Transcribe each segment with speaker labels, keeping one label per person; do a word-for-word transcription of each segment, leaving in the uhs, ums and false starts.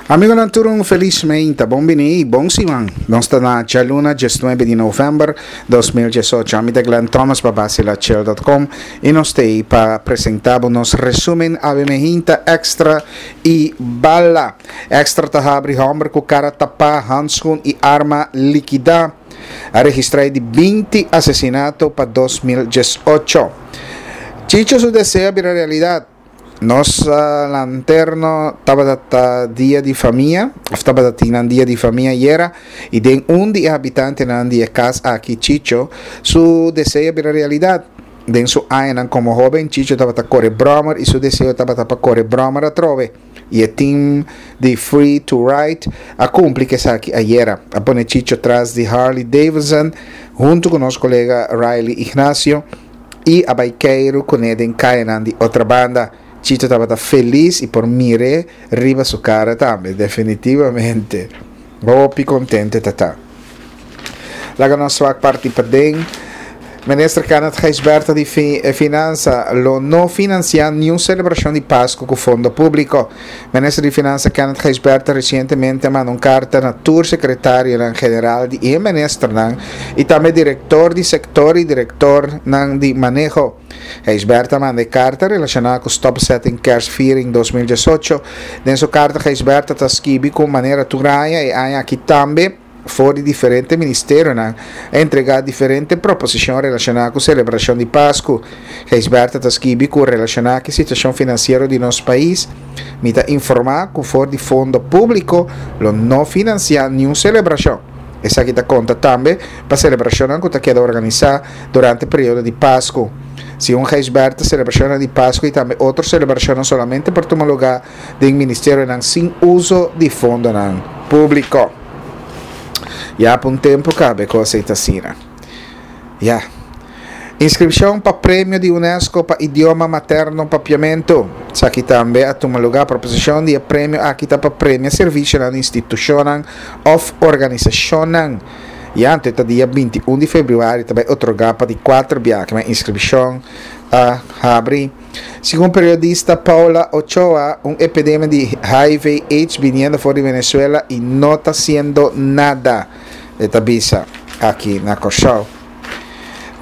Speaker 1: Amigonan tur un felis mainta, bon bini, bon siman. Nos ta na djaluna diesnuebe di novèmber dos mil diesocho. Ami ta Glenn Thomas pa Bacilachill dot com i nos ta ei pa presentá bo nos resúmen awe mehinta Extra i Bala. Extra ta habri hòmber ku kara tapá, handskun i arma likidá. A registrá e di binti asesinato pa dos mil diesocho. Chicho su deseo a bira realidat. Nos lanterno tabata ta dia di famia, of tabata tin nan dia di famia ayera, y den un di e habitantenan di e cas aki, Chicho, su deseo a bira realidad. Den su añanan como hoben, Chicho tabata core brommer y su deseo tabata pa core brommer atrobe. Y e team di Free to Ride a cumpli cu esaki ayera. A pone Chicho tras di Harley Davidson hunto cu nos colega Riley Ignacio y a bay keiru cune den cayanan di Otrabanda. Chito tabata felis y por mir'é riba su cara tambe, definitivamente. Hopi contento e ta ta. Laga nos wak parti paden. Minister Kenneth Gijsbertha di Finansa lo no financia niun celebracion di Pasco cu fondo publico. Minister di Finansa Kenneth Gijsbertha recientemente a manda un carta na tur secretarionan general di e ministernan y tambe director di sector y directornan di maneho. Gijsbertha a manda e karta relashoná ku stopzetting Kerstviering dos mil diesocho. Den su karta Gijsbertha ta skibi ku manera tur aña e aña aki tambe for di diferente ministerionan a entregá diferente proposishon relashoná ku selebrashon di Pasku. Gijsbertha ta skibi ku relashoná ku e situashon finansiero di nos pais, mi ta informá ku for di fondo públiko lo no finansiá niun selebrashon. Esaki ta konta tambe pa selebrashonnan ku ta keda organisá durante periodo di Pasku. Segun Gijsbertha, selebrashonnan di Pasku i tambe otro selebrashonnan solamente por tuma lugá den ministerionan sin uso di fondonan públiko. Ya pa un tempu kaba e kos ei ta asina. Ya. Inskripshon pa premio di UNESCO pa idioma materno Papiamentu. Esaki tambe a tuma lugá. Proposishon di e premio aki ta pa premia servisionan di institushonnan òf organisashonnan. Ya anto e ta dia binti un di febrüari ta bai otorgá pa di kuater biaha ma inskripshon a habri. Segun periodista Paula Ochoa, un epidemia di H I V AIDS biniendo for di Venezuela i no ta siendo nada, e ta bisa aki na Kòrsou.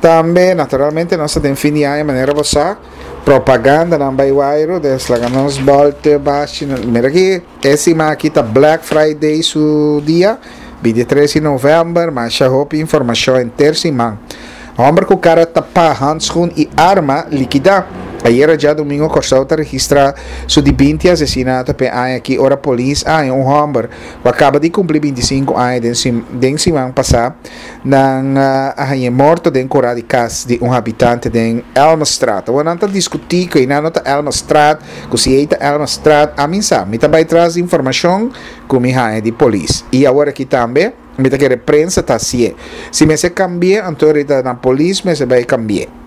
Speaker 1: Tambe, naturalmente, nos ta den fin di aña, manera bo sa, propagandanan bai wairu, des laga nos bòlte bashi. Mira aki, e siman aki ta Black Friday su dia, bintitres di novèmber, masha hopi informashon henter siman. Hòmber ku kara tapá, handskun i arma likidá. Ayera djadumingu Kòrsou ta registrá su di binti asesinato p'e aña aki ora polis a haña un hòmber ku a kaba di kumpli bintisinku aña den den siman pasá. Nan a hañ'é morto den kurá di kas di un habitante den Elmerstraat. Awor nan ta diskutí ku einan no ta Elmerstraat, ku si ei ta Elmerstraat, ami sa. Mi ta bai tras di informashon ku mi haña di polis. I awor aki tambe mi ta kere prensa ta hasié. Si mester kambi'é, anto rita na polis mester bai kambi'é.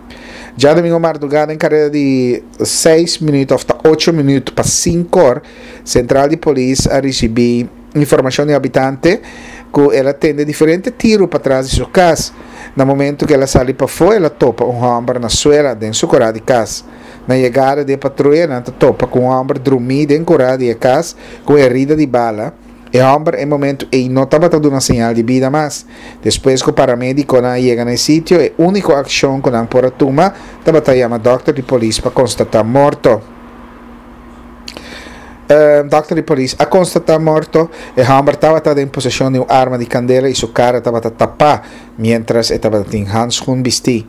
Speaker 1: Djadumingu mardugá den kareda di seis minüt òf ta ocho minüt pa sinkor, sentral di polis a risibí informashon di un habitante ku el a tende diferente tiru patras di su kas. Na momentu ku el a sali pafó el a topa un hòmber na suela den su kurá di kas. Na yegada di e patruya nan ta topa ku un hòmber drumí den kurá di e kas ku un herida di bala. E hòmber e momentu ei no tabata duna señal di bida mas. Despues ku paramedikonan a yega na e sitio, e úniko akshon ku nan por a tuma tabata yama dòkter di polis pa konstatá morto. Dòkter di polis a konstatá morto. E hòmber tabata den poseshon di un arma di kandela i su kara tabata tapá miéntras e tabata tin handskun bistí.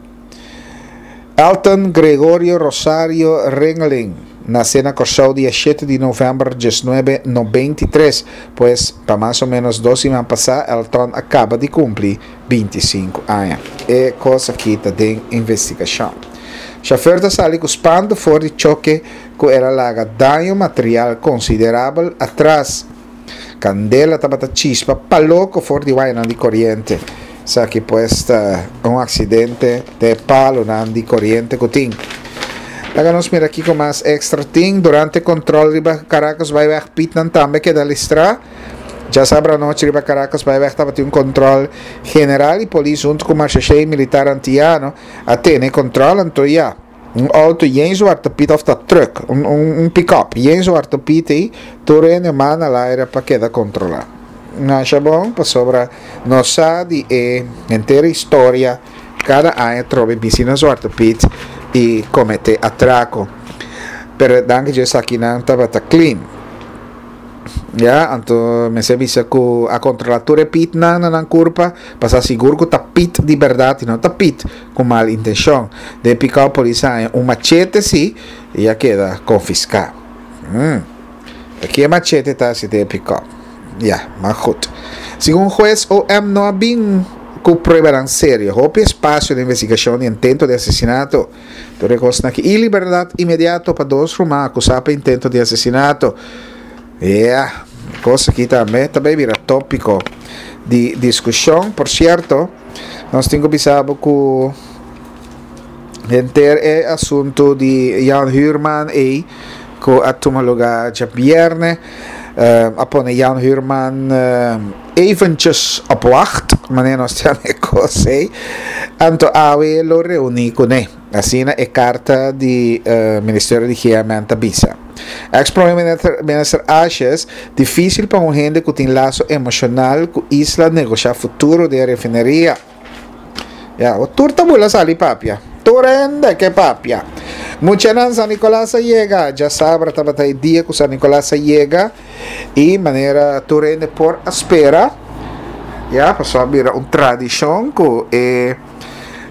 Speaker 1: Elton Gregorio Rosario Ringeling nase na Kòrsou dia shete di novèmber diesnuebe nobenta i tres, pues pa mas o ménos dos siman pasá Elton a kaba di kumpli binti i sinku aña. E kos aki ta den investigashon. Shofèr ta sali ku spantu for di choke ku el a laga daño material konsiderabel atras. Kandela tabata chispa pa loko for di wayanan di koriente. Esaki pues ta un aksidente den e palonan di koriente ku tin. Laga nos mira kiko mas extra tin. Durante kontrol riba Caracas Byweg pitnan tambe keda listrá. Djasabra anochi riba Caracas Byweg tabatin un kontrol general i polis huntu ku Marshashei Militar Antiano a tene e kontrol anto ya. Un outo yen Zwarte Piet òf ta truck, un, un, un pick-up, yen Zwarte Piet ei, tur hende man na laira pa keda kontrolá. Masha bon, pasobra nos sa di e henter historia, kada aña trobe bisi na Zwarte Piet i kometé atrako. Pero danki Dios esakinan tabata clean. Ya, anto mester bisa ku a kontrolá tur e pitnan na nan kurpa pa sa sigur ku ta pit di bèrdat i no ta pit ku mal intenshon. Den e pikòp polis a haña un machete si i a keda konfiská. Hmm. Ta ki e machete ta hasi den e pikòp? Ya, maar goed. Segun hues O M no a bin ku pruebanan serio. Hopi espasio den investigashon di intento di asesinato. Tur e kosnan aki. I liberdat inmediato pa dos ruman akusá pa intento di asesinato. Ya, kos aki tambe ta bay bira tópiko di diskushon. Por sierto, nos tin ku bisa bo ku henter e asuntu di Jan Huurman ei ku a tuma lugá djabièrnè, a pone Jan Huurman eventjes op wacht, manera nos ta yama e kos ei. Anto awe lo reuní kuné. Asina e karta di Ministerio di G M N ta bisa. Ex Prome Minister Asjes, Difícil pa un hende ku tin laso emoshonal ku isla negoshá futuro di e refineria. Ya, o tur ta bula sali papia. Tur hende ke papia. Muchanan, San Nicolas a yega. Djasabra tabata e dia ku San Nicolas a yega i manera tur hende por a spera, ya, pasobra a bira un tradishon ku e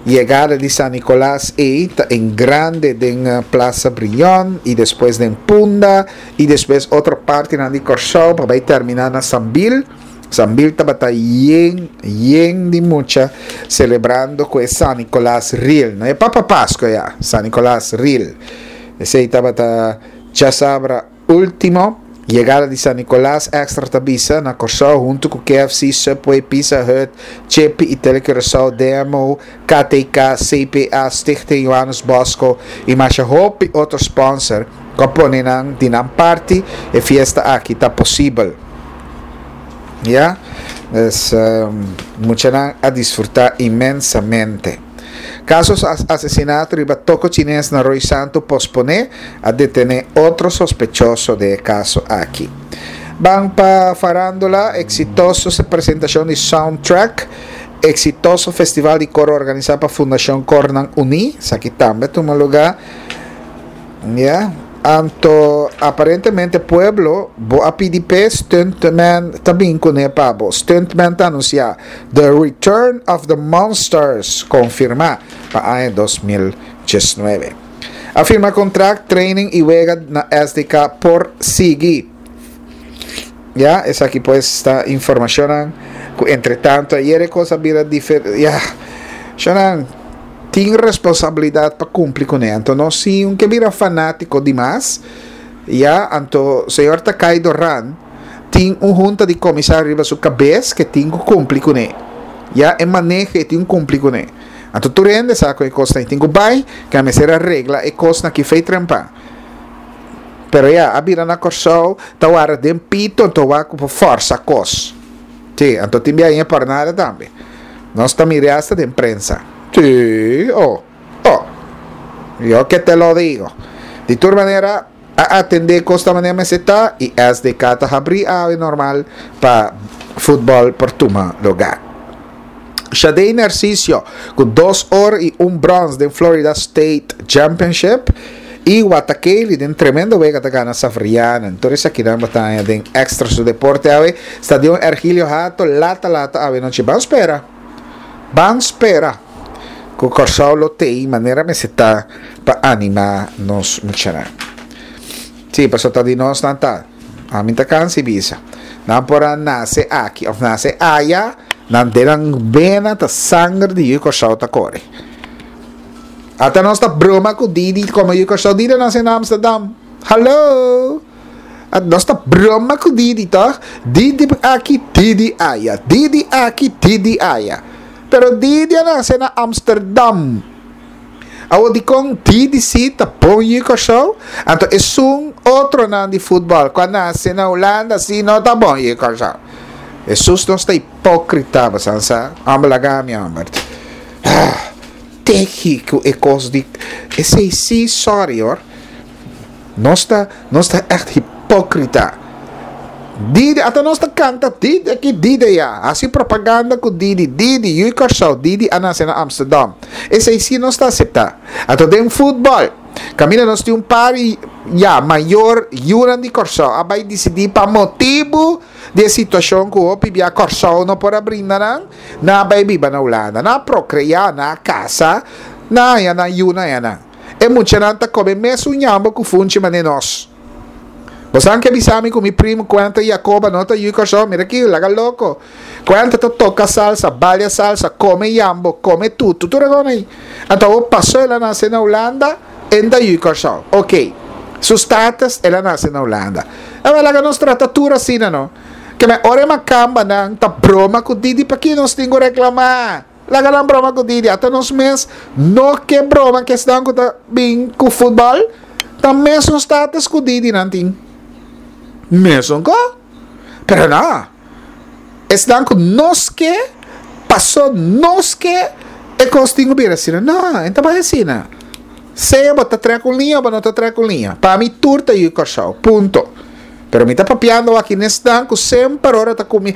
Speaker 1: yegada di San Nicolas ei ta en grande den Plaza Brion i despues den Punda i despues otro partinan di Kòrsou pa bai terminá na Sambil. Sambil tabata yen, yen di mucha selebrando ku e San Nicolas real. No e Papa Pasco ya, San Nicolas real. Esei tabata djasabra último. Yegada di San Nicolas Extra ta bisa na Kòrsou huntu ku K F C, Subway, Pizza Hut, Chepi i Tele Curaçao, D M O, K T K, C P A, Stichting Johannes Bosco i masha hopi otro sponsor ku a pone nan di nan parti e fiesta aki ta posibel. Ya, dus muchanan a disfruta inmensamente. Kaso asesinato riba toko chines na Rooi Santu posponé, a detené otro sospechoso den e kaso aki. Ban pa farándula, eksitoso presentashon di Soundtrack, eksitoso festival di koro organisá pa Fundashon Kornan Uní, esaki tambe a tuma lugá. Ya, anto aparentemente pueblo bo a pidi p'e stuntman ta bin kuné pa bo. Stuntman ta anunsiá The Return of the Monsters konfirmá pa aña dos mil diesnuebe. A firma kontrakt, training i wega na S D K por sigui. Ya, esaki pues ta informashonnan ku entretanto ayer e kos a bira difer-, ya, shonnan. Tin responsabilidad pa cumpli cune. Anto no si un ke bira fanatico di mas, ya, anto señor Takay Doran tin un junta di comisario riba su cabes ke tin cu cumpli cune. Ya, e maneho e tin cumpli cune. Anto tur hende sa cu e cosnan tin cu bay, ke a mester a regla e cosnan ki fey trempa. Pero ya, a bira na Kòrsou, ta wara den pito, anto wak cu por forsa cos. Sí, anto tin bia por nada tambe. Nos ta mira hasta den prensa. Sí, oh, oh. Yo que te lo digo. Di tur manera, a atende costa manera meseta y S D K ta habri awe normal pa futbol por tuma lugar. Shadey Narciso cu dos oro y un brons den Florida State Championship y Watakeli den tremendo wega ta gana Savriana. Entonces aquí dan batalla den extra su deporte awe. Stadion Ergilio Hato, lata lata awe noche. Ban spera. Ban spera. Ku Kòrsou lo tei manera meseta pa anima nos muchanan. Sí, paso ta di nos nan ta. A mi ta kansi bisa. Nan por a nase aki of nase aya, nan den nan bena ta sanger di yu Kòrsou ta kore. Ata nos ta broma ku Didi como yu Kòrsou. Didi nase na Amsterdam. Hallo! At nos ta broma ku Didi, toch? Didi aki, Didi aya. Didi aki, Didi aya. Pero Didi a nase na Amsterdam. Awo di kon Didi si ta bon yu Kòrsou? Anto esun otro nan di futbol ku a nase na Hulanda si no ta bon yu Kòrsou. Jesus nos ta hipócrita, basansa. Hombre, laga mi, hombre. Ah. tegi ku e kos di esei sí, sorry hoor. Nos ta, nos ta echt hipókrita. Didi, ata nos ta kanta Didi aki, Didi ya. Hasi propaganda ku Didi, Didi, yu Kòrsou, Didi a nase na Amsterdam. Esei sí nos ta aseptá. Anto den futbòl, kaminda nos tin un par ya mayor yunan di Kòrsou a bai disidí pa motibu di e situashon ku hopi bia Kòrsou no por a brinda nan, nan a bai biba na Hulanda. Nan a prokreá, nan a kasa, nan a haña nan yunan ayanan. E muchanan ta kome mesun ñambo ku funchi manera nos. Bo san ke bisa mi ku mi primu Kuenta Jacoba no ta yu Kòrsou? Mira aki, laga loko. Kuenta ta toka salsa, balia salsa, kome yambo, kome tutu, tur e kos ei. Anto awor pasó el a nase na Hulanda, e no ta yu Kòrsou. Oke, su status el a nase na Hulanda. Awor laga nos trata tur asina no. Keme ora e makambanan ta broma ku Didi paki nos tin ku reklamá? Laga nan broma ku Didi, ata nos mes no ke broma ku esnan ku ta bin ku futbòl, ta mesun status ku Didi nan tin. Mesun ko. Pero no, esnan ku nos ke, paso nos ke, e kos tin ku bira asina. No, e no ta bai asina. Sea bo ta trek un liña o bo no ta trek un liña. Pa mi tur ta yu Kòrsou. Punto. Pero mi ta papiando aki n'esnan ku semper ora ta ku mi,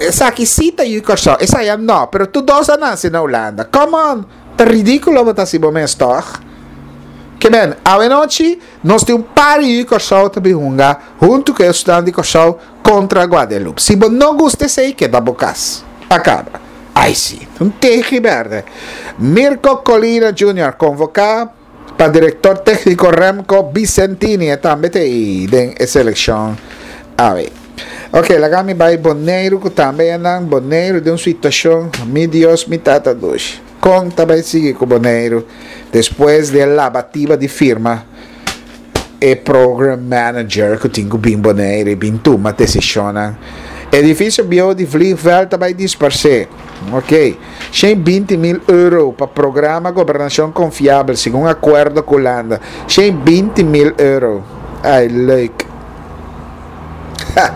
Speaker 1: esaki sí ta yu Kòrsou, esaya no, pero tur dos a nase na Hulanda. Come on! Ta ridíkulo bo ta hasi bo mes, tòg? Ke men, awenochi nos tin un par di yu Kòrsou ta bin hunga huntu ku e esnan di Kòrsou kontra Guadeloupe. Si bo no gusta esei, keda bo kas. A kaba. Ai sí, un tegi bèrdè. Mirko Colina Junior konvoká pa direktor tékniko Remco Bicentini e tambe ta ei den e selekshon awe. Ok, laga mi bai Boneiru ku tambe e nan Boneiru den un situashon, mi Dios mi tata dushi. Kon ta bai sigui ku Boneiru despues di e labatiba di firma e program manager ku tin ku bin Boneiru i bin tuma desishonnan? Edifisio bieu di Vliegveld ta bai disparsé. Ok. Shen binti mil euro pa programa Gobernashon Konfiabel segun akuerdo ku Hulanda. Shen binti mil euro. Ai leuk. Ha!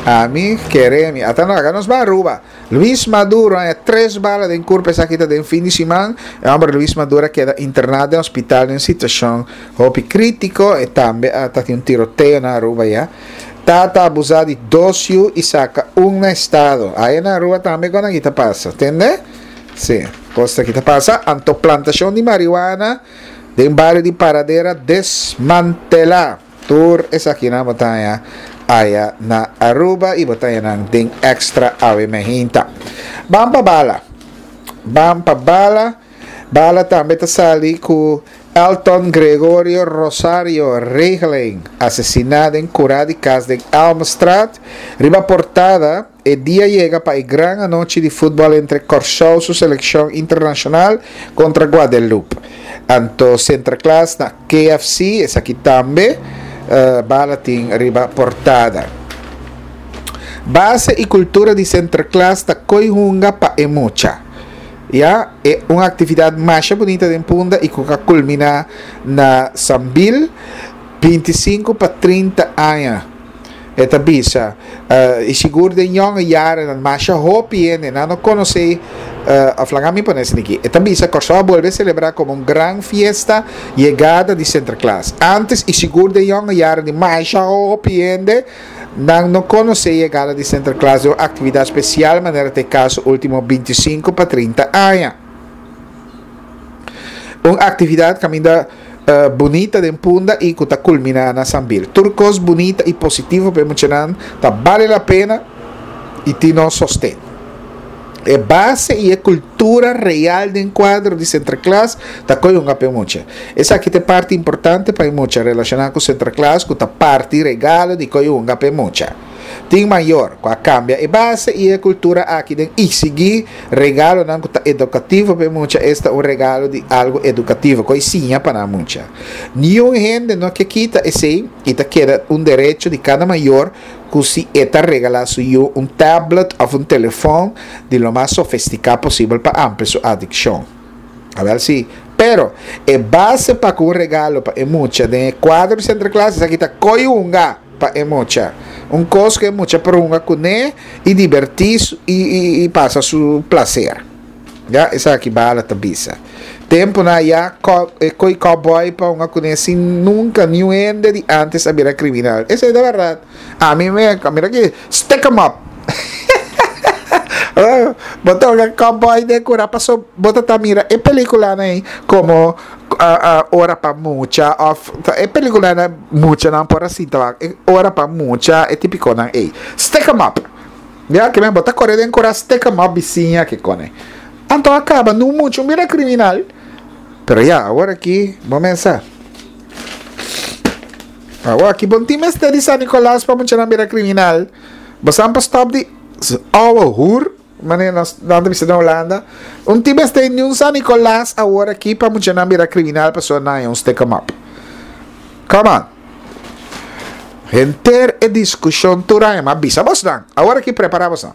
Speaker 1: Ami kere mi. Ata no, laga nos bai Aruba. Luis Maduro haña tres bala den kurpa esaki ta den fin di siman. E hòmber Luis Maduro a keda interná den hospital den un situashon hopi krítiko. E tambe a ta tin un tiroteo na Aruba ya. Tata abusá di dos yu i saka un na estado. Aya na Aruba tambe kon aki ta pasa. Tende? Sí, kos aki ta pasa. Anto plantashon di marihuana den bario di Paradera desmantelá. Tur esakinan bo ta haña aya na Aruba i bo ta haña nan den Extra awe mehinta. Ban pa bala. Ban pa bala. Bala tambe ta sali ku Elton Gregorio Rosario Regeling, asesiná den kurá di kas den Elmstraat. Riba portada, e dia yega pa e gran anochi di futbòl entre Kòrsou su selekshon internashonal kontra Guadeloupe. Anto Sinterklaas na K F C, esaki tambe Bala tin riba portada. Base i kultura di Sinterklaas ta koi hunga pa e mucha. Ya, e un aktividat masha bunita den Punda i ku ka kulminá na Sambil, binti sinku pa trinta aña, e ta bisa. I sigur den yònge yarenan masha hopi hende nan no konosé, òf laga mi pone esaki aki, e ta bisa Kòrsou a bolbe selebrá komo un gran fiesta yegada di Sinterklaas. Ántes i sigur den yònge yaren di masha hopi hende, Nan no konosé yegada di Sinterklaas den un aktividat spesial manera ta e kaso último binti sinku pa trinta aña. Un aktividat kaminda bunita den Punda i ku ta kulminá na Sambil. Tur kos bunita i positivo pa e muchanan ta bale la pena i tin nos sosten. E base i e kultura real den kuadro di Sinterklaas ta koe hunga pa e mucha. Esaki ta e parti importante pa e mucha relashoná ku Sinterklaas ku ta parti regalo di koe hunga pa e mucha. Tin mayor ku a kambia e base i e kultura aki den eksigí regalonan ku ta edukativo pa e mucha, esta un regalo di algu edukativo ku a siña pa nan mucha. Niun hende no ke kita esei i ta keda un derecho di kada mayor ku si e ta regalá su yu un tablet òf un telefòn di lo mas sofistiká posibel pa amplia su adikshon. Awèl si. Pero, e base pa ku un regalo pa e mucha den e kuadro di Sinterklaas esaki ta koi hunga pa e mucha. Un kos ku e mucha por hunga kuné i dibertí i i pasa su plaser. Ya, esaki Bala ta bisa. Tempu nan ya koi cowboy pa un kuné sin nunka niun hende di antes a bira kriminal. Esei ta bèrdat. Ami me, mira aki, stick 'em up. Bo ta hunga cowboy den kura paso bo ta ta mira e pelikulanan ei komo ora pa mucha òf e pelikulanan muchanan por a sinta wak e ora pa mucha e tipikonan ei. Stick 'em up. Ya ke men bo ta kore den kura stick 'em up bisiña ke kone. Anto a kaba no mucha un bira kriminal. Pero ya awor aki bo mensa. Awor aki bo tin mester di San Nicolas pa muchanan bira kriminal. Bo san pa stop di ouwe hoer, manera nos nan ta bisa na Hulanda. Un tin mester ni un San Nicolas awor aki pa muchanan bira kriminal pasobra nan haña un stick 'em up. Come on. Henter e diskushon tur aña, m'a bisa bosnan. Awor aki prepara bosnan.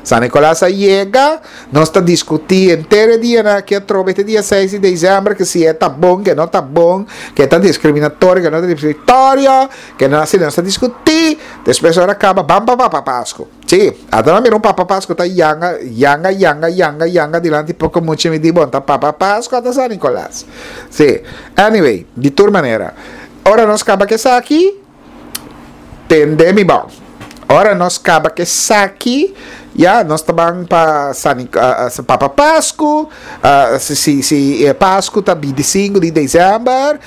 Speaker 1: San Nicolas a yega, nos ta diskutí henter e dianan aki atrobe te dia seis di desèmber ke si e ta bon, ke no ta bon, ke ta diskriminatorio, ke no ta diskriminatorio, ke no asina nos ta diskutí, despues ora kaba ban pa Papa Pasku. Sí, ata nan mira un Papa Pasku ta yanga, yanga, yanga, yanga, yanga dilanti poko mucha mi di bon ta Papa Pasku ata San Nicolas. Sí, anyway, di tur manera, ora nos kaba ku esaki, tende mi bon. Ora nos kaba ku esaki, ya, nos ta ban pa San Papa Pasku, si si si Pasku ta binti sinku di desèmber,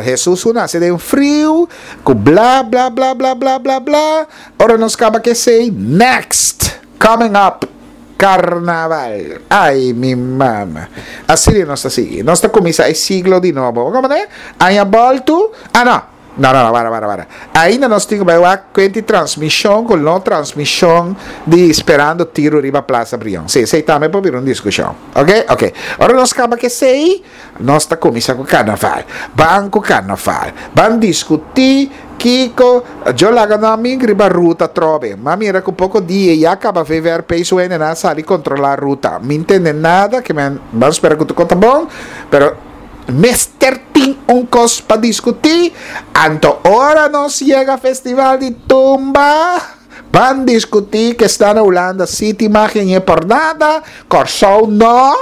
Speaker 1: Hesus ku nase den friu, ku bla bla bla bla bla bla bla. Ora nos kaba ku esei, next coming up, Karnaval. Ai mi mama. Asina nos ta sigui. Nos ta kuminsá e siglo di nobo. Bo komprendé? Aña bòltu, ah no. No, no, no, wara, wara, wara. Ainda nos tin ku bai wak kuenti transmishon ku no transmishon di Sperando Tiro riba Plaza Brion. Sí, esei tambe por bira un diskushon. Oke? Oke. Ora nos kaba ku esei, nos ta kuminsá ku karnaval. Ban ku karnaval. Ban diskutí kiko Djo laga nan ming riba ruta atrobe. M'a mira ku poko dia ya kaba V V R P su hendenan a sali kontrolá ruta. Mi ntende nada, ke men ban spera ku tur kos ta bon, pero Mester tin un kos pa diskutí, anto ora nos yega Festival di Tumba, ban diskutí ke sta na Hulanda sí tin magia ñe por nada, Kòrsou no.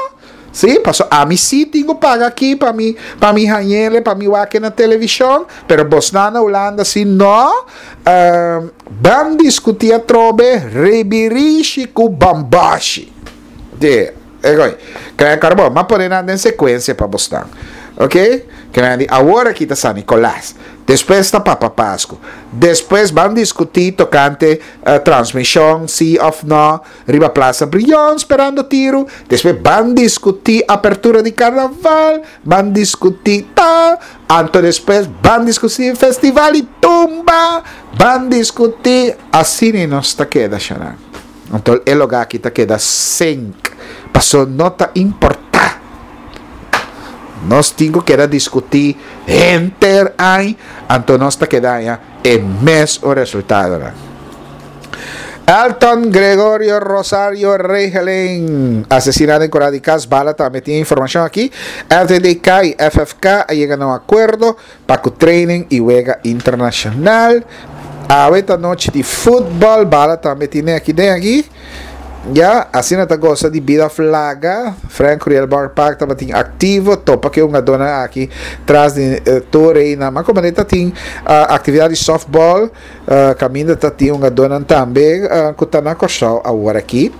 Speaker 1: Sí, paso ami sí tin ku paga aki pa mi pa mi hañ'ele, pa mi wak e na televishon, pero bosnan na Hulanda sí no. Ban diskutí atrobe ribirishi ku bambashi. De. Egoi, kaya karbon, m'a pone nan den sekuensia pa bosnan. Ok? Kaya di awor aki ta San Nikolas, despues ta Papa Pasku, despues ban diskutí tokante transmishon si òf no riba Plaza Brion sperando tiru, despues ban diskutí apertura di karnaval, ban diskutí tal, anto despues ban diskutí festival di tumba, ban diskutí, asina nos ta keda shana. Anto e lugá aki ta keda sink, paso no ta importá. Nos tin ku keda diskutí henter añ, anto nos ta keda haña e mes un resultadonan. Elton Gregorio Rosario Regeling, asesiná den kura di kas, bala tambe tin e informashon aki. L T D K i F F K a yega na un akuerdo pa ku training i wega internashonal. Awe ta nochi di futbol, bala tambe tine aki den aki. Ya, asina ta gosa di bida flaga. Frank Curiel Bar Park tabatin aktivo, topa ku e hungadónan aki tras di tur einan. Ma komo ta tin aktividat di softball, kaminda ta tin hungadónan tambe ku ta na Kòrsou awor aki.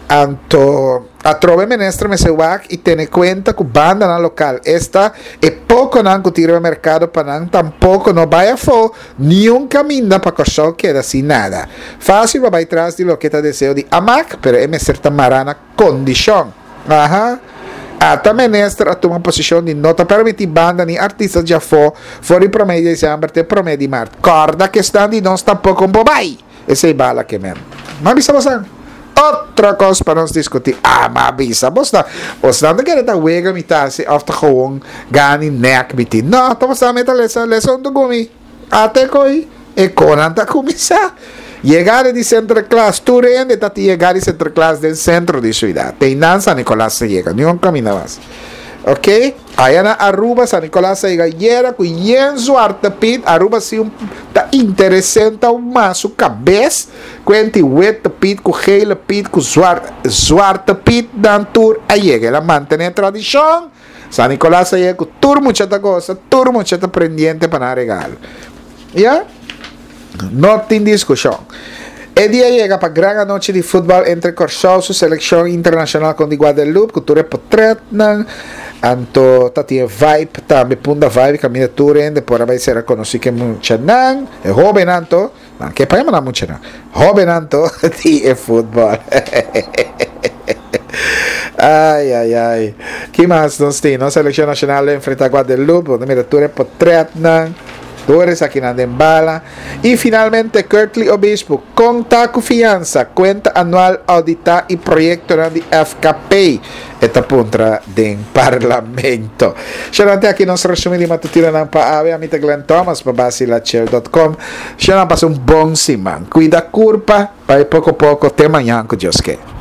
Speaker 1: Anto atrobe minister mester wak y tene cuenta cu bandanan local, esta e poconan cu tin riba mercado pa nan tampoco no bay afo niun caminda pa Corsou keda sin nada. Facil pa bay tras di loke ta deseo di Amak, pero e mester ta mara na condicion. Aha. Ata minister a tuma posicion di no ta permiti banda ni artista djafo for di prome di december te prome di maart. Corda cu esnan di nos tampoco por bay! Esei bala ke men. M'a bisa bosan. Otro kos pa nos diskutí. Ah, m'a bisa bosnan. Bosnan ta kere ta wega mi ta hasi òf ta gewoon gani nèk mi tin. No, ta bosnan mi ta lesa, lesa huntu ku mi. Ate koi e konan ta kuminsá. Yegada di Sinterklaas, tur hende ta tin yegada di Sinterklaas den sentro di siudat. Te einan San Nikolas ta yega, niun kaminda mas. Ok? Aya na Aruba, San Nicolas a yega ayera ku yen Zwarte Piet. Aruba si un ta interesante un mas su kabes. Kuenti Witte Piet ku Gele Piet ku Zwarte, Zwarte Piet dan tur a yega. El a mantené tradishon. San Nicolas a yega ku tur mucha ta gosa, tur mucha ta pendiente pa nan regalo. Ya? No tin diskushon. E dia yega pa gran anochi di futbòl entre Kòrsou su selekshon internashonal kon di Guadeloupe ku tur e potretnan. Anto ta tin e vibe tambe, Punda Vibe, kaminda tur hende por a bai sera konosí ku e muchanan, e hóbennan to, nan ke pa yama nan muchanan, hóbennan to di e futbòl. Ai, ai, ai. Ki mas nos tin? Nos selekshon nashonal lo enfrentá Guadeloupe, bo ta mira tur e potretnan. Tur esakinan den bala. I finalmente Curtly Obispo, Kon ta ku fiansa, kuenta anual auditá i proyektonan di F K P? E ta puntra den Parlamento. Shanan te aki nos resumí di matutinonan pa awe. Ami ta Glenn Thomas pa Basilachel dot com. Shanan pasa un bon siman. Kuida kurpa, bai poko poko te mañan ku Dios ke.